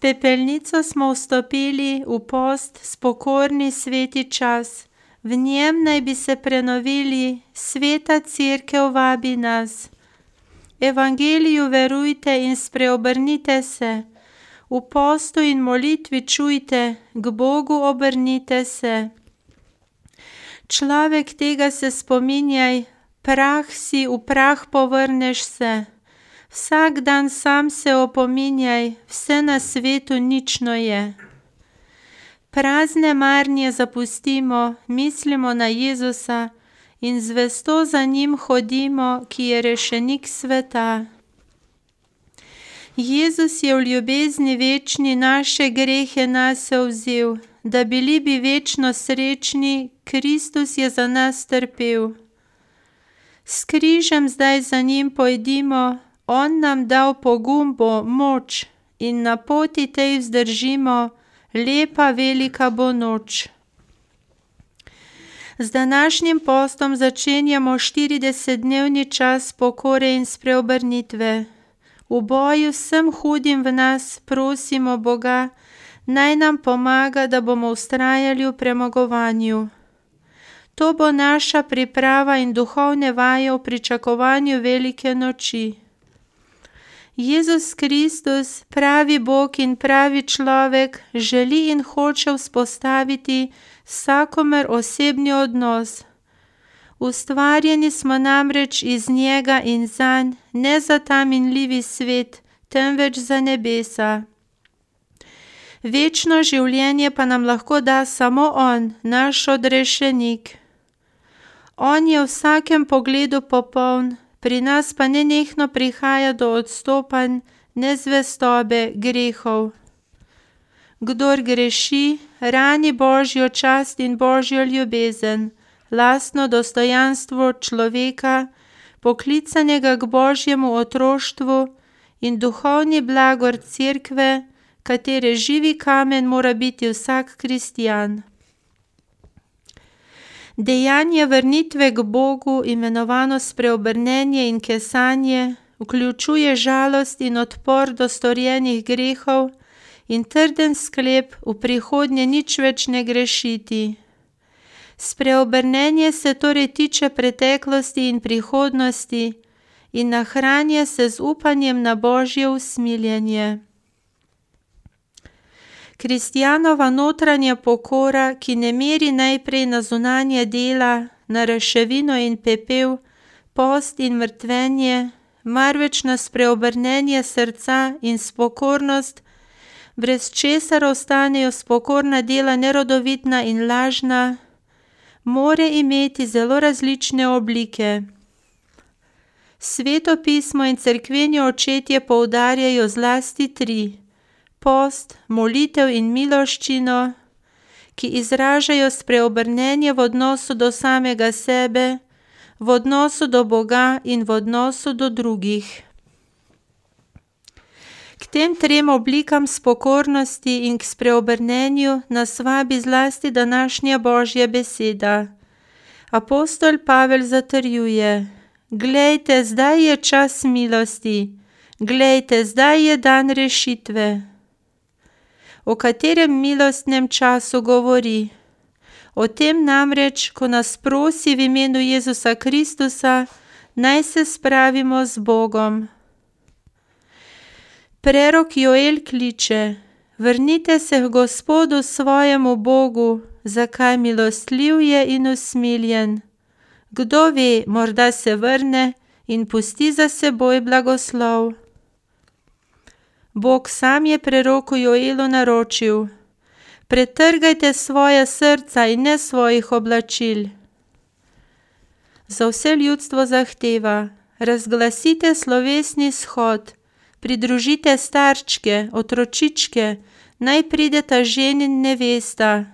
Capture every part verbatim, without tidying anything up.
pepelnico smo vstopili v post, spokorni sveti čas. V njem naj bi se prenovili, sveta cerkev vabi nas. Evangeliju verujte in spreobrnite se. V postu in molitvi čujte, k Bogu obrnite se. Človek, tega se spominjaj, prah si, v prah povrneš se. Vsak dan sam se opominjaj, vse na svetu nično je. Prazne marnje zapustimo, mislimo na Jezusa in zvesto za njim hodimo, ki je rešenik sveta. Jezus je v ljubezni večni naše grehe nase vzel, da bili bi večno srečni, Kristus je za nas trpel. S križem zdaj za njim pojdimo, on nam dal pogum bo, moč in na poti tej vzdržimo, lepa velika bo noč. Z današnjim postom začenjamo štiridesetdnevni čas pokore in spreobrnitve. V boju vsem hudim v nas prosimo Boga, naj nam pomaga, da bomo vztrajali v premagovanju. To bo naša priprava in duhovne vaje v pričakovanju velike noči. Jezus Kristus, pravi Bog in pravi človek, želi in hoče vzpostaviti vsakomer osebni odnos. Ustvarjeni smo namreč iz njega in zanj, ne za ta minljivi svet, temveč za nebesa. Večno življenje pa nam lahko da samo on, naš odrešenik. On je v vsakem pogledu popoln, pri nas pa nenehno prihaja do odstopanj, nezvestobe, grehov. Kdor greši, rani Božjo čast in Božjo ljubezen, lastno dostojanstvo človeka, poklicanega k Božjemu otroštvu in duhovni blagor cerkve, katere živi kamen mora biti vsak kristjan. Dejanje vrnitve k Bogu, imenovano spreobrnenje in kesanje, vključuje žalost in odpor do storjenih grehov in trden sklep v prihodnje nič več ne grešiti. Spreobrnenje se torej tiče preteklosti in prihodnosti in nahranja se z upanjem na Božje usmiljenje. Kristjanova notranja pokora, ki ne meri najprej na zunanja dela, na reševino in pepel, post in mrtvenje, marveč na spreobrnenje srca in spokornost, brez česar ostanejo spokorna dela nerodovitna in lažna, more imeti zelo različne oblike. Sveto pismo in cerkveni očetje poudarjajo zlasti tri: post, molitev in miloščino, ki izražajo spreobrnenje v odnosu do samega sebe, v odnosu do Boga in v odnosu do drugih. K tem trem oblikam spokornosti in k spreobrnenju nas vabi zlasti današnja Božja beseda. Apostol Pavel zatrjuje: glejte, zdaj je čas milosti, glejte, zdaj je dan rešitve. O katerem milostnem času govori? O tem namreč, ko nas prosi v imenu Jezusa Kristusa, naj se spravimo z Bogom. Prerok Joel kliče: vrnite se k Gospodu svojemu Bogu, zakaj milostljiv je in usmiljen. Kdo ve, morda se vrne in pusti za seboj blagoslov. Bog sam je preroku Joelu naročil: pretrgajte svoja srca in ne svojih oblačil. Za vse ljudstvo zahteva: razglasite slovesni shod, pridružite starčke, otročičke, naj prideta ženin nevesta.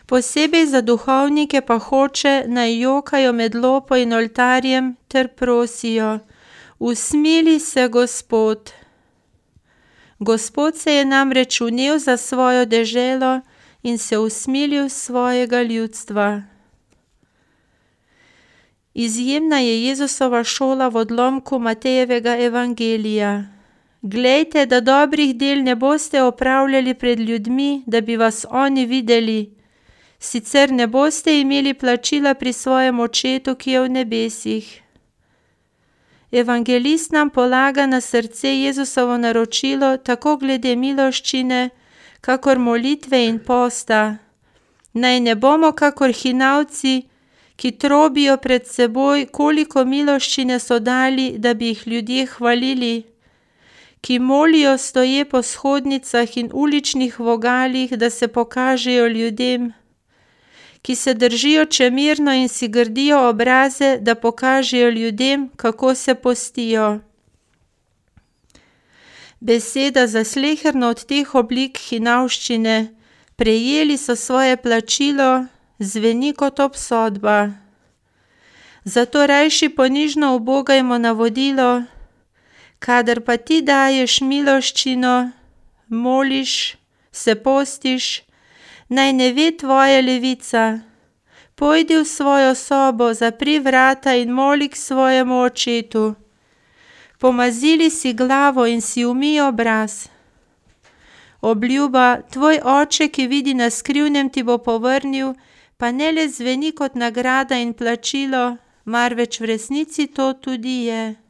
Posebej za duhovnike pa hoče, naj jokajo med lopo in oltarjem ter prosijo: usmili se, Gospod. Gospod se je namreč vnel za svojo deželo in se usmilil svojega ljudstva. Izjemna je Jezusova šola v odlomku Matejevega evangelija. Glejte, da dobrih del ne boste opravljali pred ljudmi, da bi vas oni videli. Sicer ne boste imeli plačila pri svojem očetu, ki je v nebesih. Evangelist nam polaga na srce Jezusovo naročilo tako glede miloščine, kakor molitve in posta. Naj ne bomo kakor hinavci, ki trobijo pred seboj, koliko miloščine so dali, da bi jih ljudje hvalili, ki molijo stoje po shodnicah in uličnih vogalih, da se pokažejo ljudem, ki se držijo čemerno in si grdijo obraze, da pokažejo ljudem, kako se postijo. Beseda za sleherno od teh oblik hinavščine, prejeli so svoje plačilo, zveni kot obsodba. Zato rajši ponižno ubogajmo navodilo, kadar pa ti daješ miloščino, moliš, se postiš, naj ne ve tvoja levica. Pojdi v svojo sobo, zapri vrata in moli k svojemu očetu. Pomazili si glavo in si umij obraz. Obljuba, tvoj oče, ki vidi na skrivnem, ti bo povrnil, pa ne le zveni kot nagrada in plačilo, marveč v resnici to tudi je.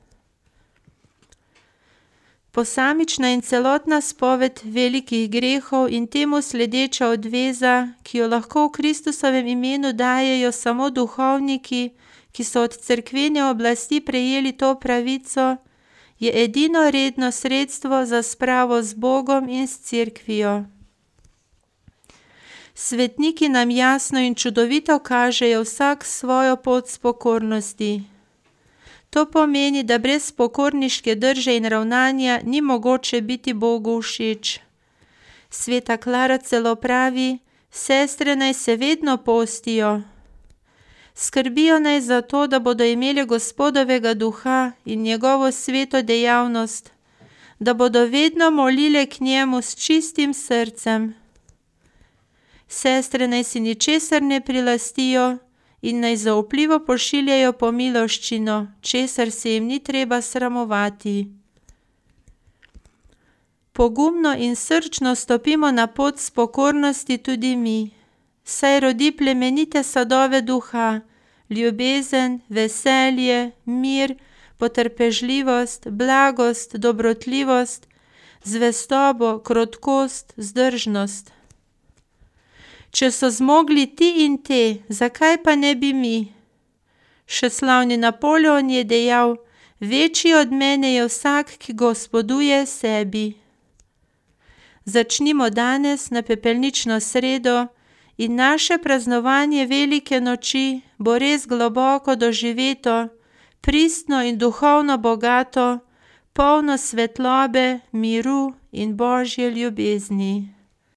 Posamična in celotna spoved velikih grehov in temu sledeča odveza, ki jo lahko v Kristusovem imenu dajejo samo duhovniki, ki so od cerkvene oblasti prejeli to pravico, je edino redno sredstvo za spravo z Bogom in s cerkvijo. Svetniki nam jasno in čudovito kažejo vsak svojo pot s pokornosti. To pomeni, da brez pokorniške drže in ravnanja ni mogoče biti Bogu všeč. Sveta Klara celo pravi, sestre naj se vedno postijo. Skrbijo naj za to, da bodo imeli Gospodovega duha in njegovo sveto dejavnost, da bodo vedno molile k njemu s čistim srcem. Sestre naj si ničesar ne prilastijo in naj zaupljivo pošiljajo po miloščino, česar se jim ni treba sramovati. Pogumno in srčno stopimo na pot s pokornosti tudi mi, saj rodi plemenite sadove duha, ljubezen, veselje, mir, potrpežljivost, blagost, dobrotljivost, zvestobo, krotkost, vzdržnost. Če so zmogli ti in te, zakaj pa ne bi mi? Še slavni Napoleon je dejal, večji od mene je vsak, ki gospoduje sebi. Začnimo danes na pepelnično sredo in naše praznovanje velike noči bo res globoko doživeto, pristno in duhovno bogato, polno svetlobe, miru in Božje ljubezni.